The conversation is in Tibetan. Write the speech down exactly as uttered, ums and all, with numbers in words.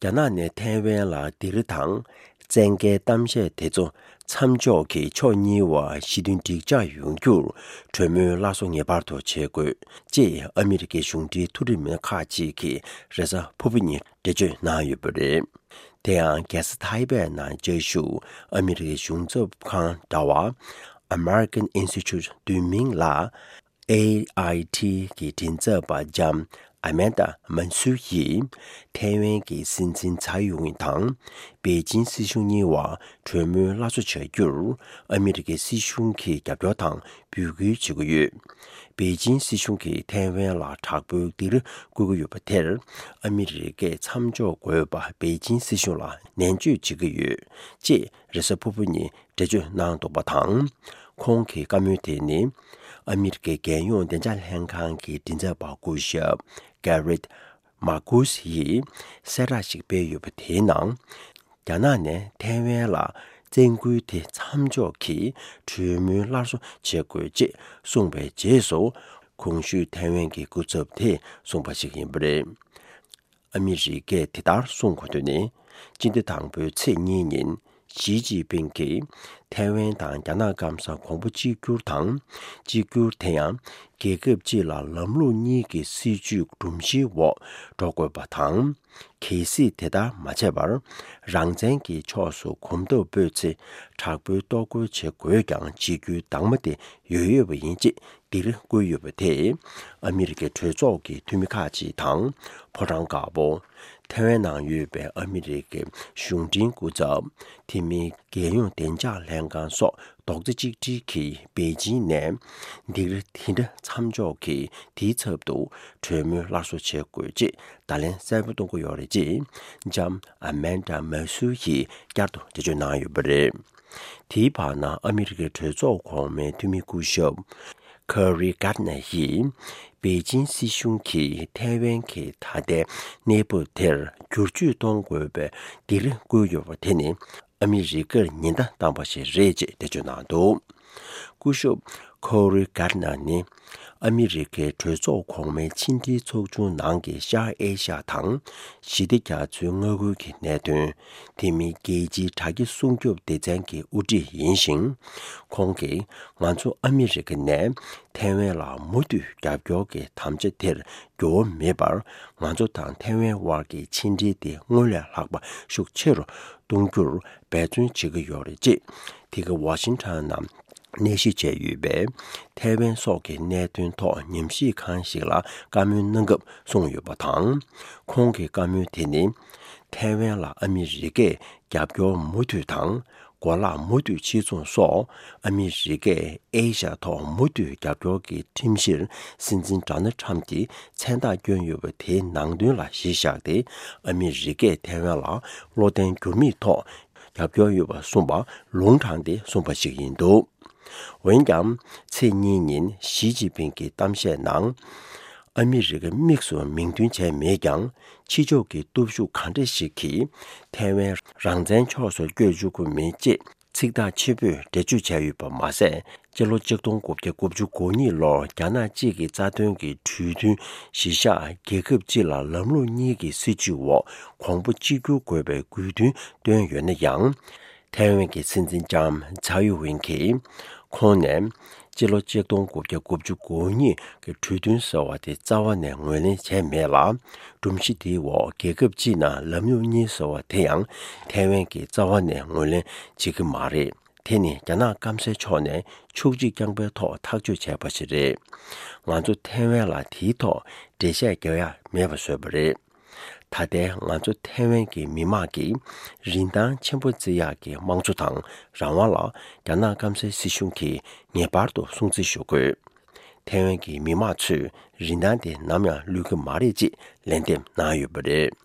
རྒྱ་ནག་ནས་ཐའེ་ཝན་ལ་སྡིགས་ར་དང་བཙན་རྒྱལ་གཏམ་བཤད་དེ་ཚོ་མཚམས་འཇོག་གིས་ཕྱོགས་གཉིས་བར་ཞི་མཐུན་འགྲིག་འཇགས་ཡོང་རྒྱུར་གྲོས་མོལ་སླར་གསོ་ངེས་པར་དུ་བྱེད་དགོས་ཅེས་ཨ་མི་རི་ཀའི་གཞུང་འབྲེལ་མཐོ་རིམ་མི་སྣ་ཁག་ཅིག་གིས་རེས་གཟའ་ཕུར་བུ་ཉིན་འགྲེལ་བརྗོད་གནང་ཡོད་པ་རེད། དེ་ཡང་རྒྱལ་ས་ཐའེ་པེ་ནང་བཅའ་བཞུགས་ཨ་མི་རི་ཀའི་གཞུང་ཚབ་ཁང་འདྲ་བ་American Institute བསྡུས་མིང་ལ། ཨེ་ཨའི་ཊི་གི་མགྲིན་ཚབ་པ་ལྕམ་ཨ་མན་ཌ་མན་སུར་ཡིས་ཐའེ་ཝན་གྱི་སྲིད་འཛིན་ཚའེ་ཡུང་དང་པེ་ཅིན་སྲིད་གཞུང་གཉིས་བར་གྲོས་མོལ་སླར་གསོ་བྱ་རྒྱུར་ཨ་མི་རི་ཀའི་སྲིད་གཞུང་གིས་རྒྱབ་སྐྱོར་དང་འབོད་སྐུལ་བྱེད་ཀྱི་ཡོད། པེ་ཅིན་སྲིད་གཞུང་གིས་ཐའེ་ཝན་ལ་དྲག་པོའི་སྡིགས་ར་བསྐུལ་གྱི་ཡོད་པ་དེར་ཨ་མི་རི་ཀས་མཚམས་འཇོག་དགོས་པ་པེ་ཅིན་སྲིད་གཞུང་ལ་ནན་བརྗོད་བྱེད་ཀྱི་ཡོད་ཅེས་རེས་གཟའ་ཕུར་བུ་ཉིན་འགྲེལ་བརྗོད་གནང་འདུག་པ་དང་། ཁོང་གི་བཀའ་མོལ་དེ་ནི་ཨ་མི་རི་ཀའི་རྒྱལ་ཡོངས་བདེ་འཇགས་ལྷན་ཁང་གི་མགྲིན་ཚབ་པ་སྐུ་ཞབས་Gareth Marcus ཡིས་གསལ་བསྒྲགས་ཤིག་སྤེལ་ཡོད་པ་དེའི་ནང་། རྒྱ་ནག་ནས་ཐའེ་ཝན་ལ་བཙན་སྐུལ་དེ་མཚམས་འཇོག་གིས་གྲོས་མོལ་སླར་གསོ་བྱེད་དགོས་ཅེས་གསུངས་པའི་རྗེས་སུ། གོང་ཞུས་ཐའེ་ཝན་གྱི་སྐུ་ཚབ་དེས་གསུངས་པ་ཞིག་ཡིན་པ་རེད། ཨ་མི་རི་ཀས་དེ་ལྟར་གསུང་གོ་དོན་ནི། སྤྱི་ཟླ་དང་པོའི་ཚེས་གཉིས་ཉིན་ཞི་ཅིན་ཕིང་གིས་ཐའེ་ཝན་དང་རྒྱ་ནག་སྐམ་ས་གོང་བུ་གཅིག་གྱུར་དང་། གཅིག་གྱུར་དེ་ཡང་རྒྱལ་ཁབ་གཅིག་ལ་ལམ་ལུགས་གཉིས་ཀྱི་སྲིད་ཇུས་སྒྲོམ་གཞིའི་འོག་འགྲོ་དགོས་པ་དང་། གལ་སྲིད་དེ་ལྟར་མ་བྱས་པར་རང་བཙན་གྱི་ཕྱོགས་སུ་གོམ་སྟབས་སྤོས་ཚེ་དྲག་པོའི་གཏོར་རྒོལ་བྱེད་དགོས་ཀྱང་བྱེད་རྒྱུའི་གདམས་ངག་དེ་ཡོད་ཡོད་པ་ཡིན་ཅེས། སྡིགས་ར་བསྐུལ་ཡོད་པ་དེས་ཨ་མི་རི་ཀའི་གྲོས་ཚོགས་ཀྱི་འཐུས་མི་ཁག་ཅིག་དང་ཕོ་བྲང་དཀར་པོ། ཐའེ་ཝན་ནང་ཡོད་པའི་ཨ་མི་རི་ཀའི་གཞུང་འབྲེལ་སྐུ་ཚབ། དེ་མིན་རྒྱལ་ཡོངས་བདེ་འཇགས་ལྷན་ཁང་སོགས་རྡོག་རྩ་གཅིག་སྒྲིལ་གྱིས་པེ་ཅིན་ནས་སྡིགས་ར་དེ་འདྲ་མཚམས་འཇོག་གིས་དེའི་ཚབ་ཏུ་གྲོས་མོལ་སླར་གསོ་བྱེད་དགོས་ཅེས་བརྡ་ལན་གསལ་པོ་གཏོང་གི་ཡོད་རེད་ཅེས་ལྕམ་ཨ་མན་ཌ་མ་སུ་ཡིས་བསྐྱར་དུ་འགྲེལ་བརྗོད་གནང་ཡོད་པ་རེད། དེའི་བར་ན་ཨ་མི་རི་ཀའི་གྲོས་ཚོགས་གོང་མའི་འཐུས་མི་སྐུ་ཞབས་ཁོ་རི་གྷར་ནེ་ཡིས་པེ་ཅིན་སྲིད་གཞུང་གིས་ཐའེ་ཝན་གྱི་ད་ལྟའི་གནས་བབ་དེར་བསྒྱུར་བཅོས་གཏོང་དགོས་པའི་སྡིགས་ར་བསྐུལ་ཡོད་པ་དེ་ནི་ཨ་མི་རི་ཀར་ཉེན་བརྡ་བཏང་པ་ཞིག་རེད་ཅེས་འགྲེལ་བརྗོད་གནང་འདུག་སྐུ་ཞབས་ཁོ་རི་གྷར་ནེ་ནི་ཨ་མི་རི་ཀའི་གྲོས་ཚོགས་གོང་མའི་ཕྱི་འབྲེལ་ཚོགས་ཆུང་ནང་གི་ཤར་ཨེ་ཤ་དང་ཞི་བདེ་རྒྱ་མཚོའི་མངའ་ཁུལ་གྱི་གནད་དོན། དེ་མིན་རྒྱལ་སྤྱིའི་དྲ་རྒྱ་སྲུང་སྐྱོབ་སྡེ་ཚན་གྱི་དབུ་ཁྲིད་ཡིན་ཞིང་། ཁོང་གིས་ང་ཚོ་ཨ་མི་རི་ཀ་ནས་ཐའེ་ཝན་ལ་མུ་མཐུད་རྒྱབ་སྐྱོར་གྱི་དམ་བཅའ་དེར་འགྱུར་བ་མེད་པར། ང་ཚོ་དང་ཐའེ་ཝན་དབར་གྱི་ཕྱི་འབྲེལ་དེ་སྔོན་ལས་ལྷག་པ་ཤུགས་ཆེ་རུ་གཏོང་རྒྱུར་འབད་བརྩོན་བྱེད་ཀྱི་ཡོད་རེད་ཅེས། དེ་ག་ཝ་ཤིང་ཊོན་ནང་གནས་གཞི་བྱས་ཡོད་པའི་ཐའེ་ཝན་སོགས་ཀྱི་གནད་དོན་ཐོག་ཉམས་ཞིབ་ཁང་ཞིག་ལ་བཀའ་མོལ་གནང་སྐབས་གསུངས་ཡོད་པ་དང་། ཁོང་གི་བཀའ་མོལ་དེ་ནི། ཐའེ་ཝན་ལ་ཨ་མི་རི་ཀས་རྒྱབ་སྐྱོར་མུ་མཐུད་དང་། གོ་ལག་མུ་མཐུད་ཕྱིར་ཚོང་སོགས་ཨ་མི་རི་ཀས་ཨེ་ཤ་ཐོག་མུ་མཐུད་རྒྱབ་སྐྱོར་གྱི་ཁྲིམས་གཞིར་སྲིད་འཛིན་ཌོ་ནལ་ཊམ་གྱིས་མཚན་རྟགས་བསྐྱོན་ཡོད་པ་དེའི་ནང་དོན་ལ་གཞི་བཞག་སྟེ། ཨ་མི་རི་ཀས་ཐའེ་ཝན་ལ་བློ་བརྟན་འགྱུར་མེད་ཐོག་རྒྱབ་སྐྱོར་ཡོད་པ་གསུངས་པ་ལུང་དྲངས་ཏེ་གསུངས་པ་ཞིག་ཡིན་འདུག་འོན་ཀྱང་། ཚེས་གཉིས་ཉིན་ཞི་ཅིན་ཕིང་གི་གཏམ་བཤད་ནང་། ཨ་མི་རི་ཀ་དམིགས་སུ་མིང་འདོན་བྱས་མེད་ཀྱང་། ཕྱི་ཕྱོགས་ཀྱི་སྟོབས་ཤུགས་གང་འདྲ་ཞིག་གིས་ཐའེ་ཝན་རང་བཙན་ཕྱོགས་སུ་བསྐྱོད་བཅུག་གི་མེད་ཅེས་ཚིག་ཐག་ཆོད་པོས་འགྲེལ་བརྗོད་བྱས་ཡོད་པ་མ་ཟད། སྤྱི་ལོ་ཆིག་སྟོང་དགུ་བརྒྱ་དགུ་བཅུ་གོ་གཉིས་ལོར་རྒྱ་ནག་གཅིག་གི་རྩ་དོན་གྱི་གྲོས་མཐུན་གཞི་བཞག་རྒྱལ་ཁབ་གཅིག་ལ་ལམ་ལུགས་གཉིས་ཀྱི་སྲིད་བྱུས་འོག་གོང་བུ་གཅིག་གྱུར་དགོས་པའི་དགོས་འདུན་བཏོན་ཡོད་ན་ཡང་། ཐའེ་ཝན་གྱི་སྲིད་འཛིན་ལྕམ་ཚའེ་ཡུ་ཝེན་གྱིས། ཁོང་ནས་སྤྱི་ལོ་ཆིག་སྟོང་དགུ་བརྒྱ་དགུ་བཅུ་གོ་གཉིས་ཀྱི་གྲོས་མཐུན་ཟེར་བ་དེ་རྩ་བ་ནས་ངོས་ལེན་བྱས་མེད་ལ། སྒྲོམ་གཞི་དེའི་འོག་རྒྱལ་ཁབ་གཅིག་ནང་ལམ་ལུགས་གཉིས་ཟེར་བ་དེ་ཡང་ཐའེ་ཝན་གྱིས་རྩ་བ་ནས་ངོས་ལེན་བྱེད་ཀྱི་མ་རེད། དེ་ནི་རྒྱ་ནག་སྐམ་སའི་ཕྱོགས་ནས་ཕྱོགས་གཅིག་རྐྱང་པའི་ཐོག་ཐག་གཅོད་བྱས་པ་ཞིག་རེད། ང་ཚོ་ཐའེ་ཝན་ལ་དེའི་ཐོག་འགྲེལ་བཤད་རྒྱག་ཡ་མེད་པ་བཟོས་པ་རེད། ད་ལྟའི་ང་ཚོ་ཐའེ་ཝན་གྱི་མི་དམངས་ཀྱིས་རིན་ཐང་ཆེན་པོ་བརྩི་ཡག་གི་དམངས་གཙོ་དང་རང་དབང་ལ་རྒྱ་ནག་སྐམ་སའི་སྲིད་གཞུང་གིས་ངེས་པར་དུ་སྲུང་བརྩི་ཞུ་དགོས། ཐའེ་ཝན་གྱི་མི་དམངས་ཚོས་རིན་ཐང་དེ་ནམ་ཡང་བློས་ཀྱི་མ་རེད་ཅེས་ལན་འདེབས་གནང་ཡོད་པ་རེད།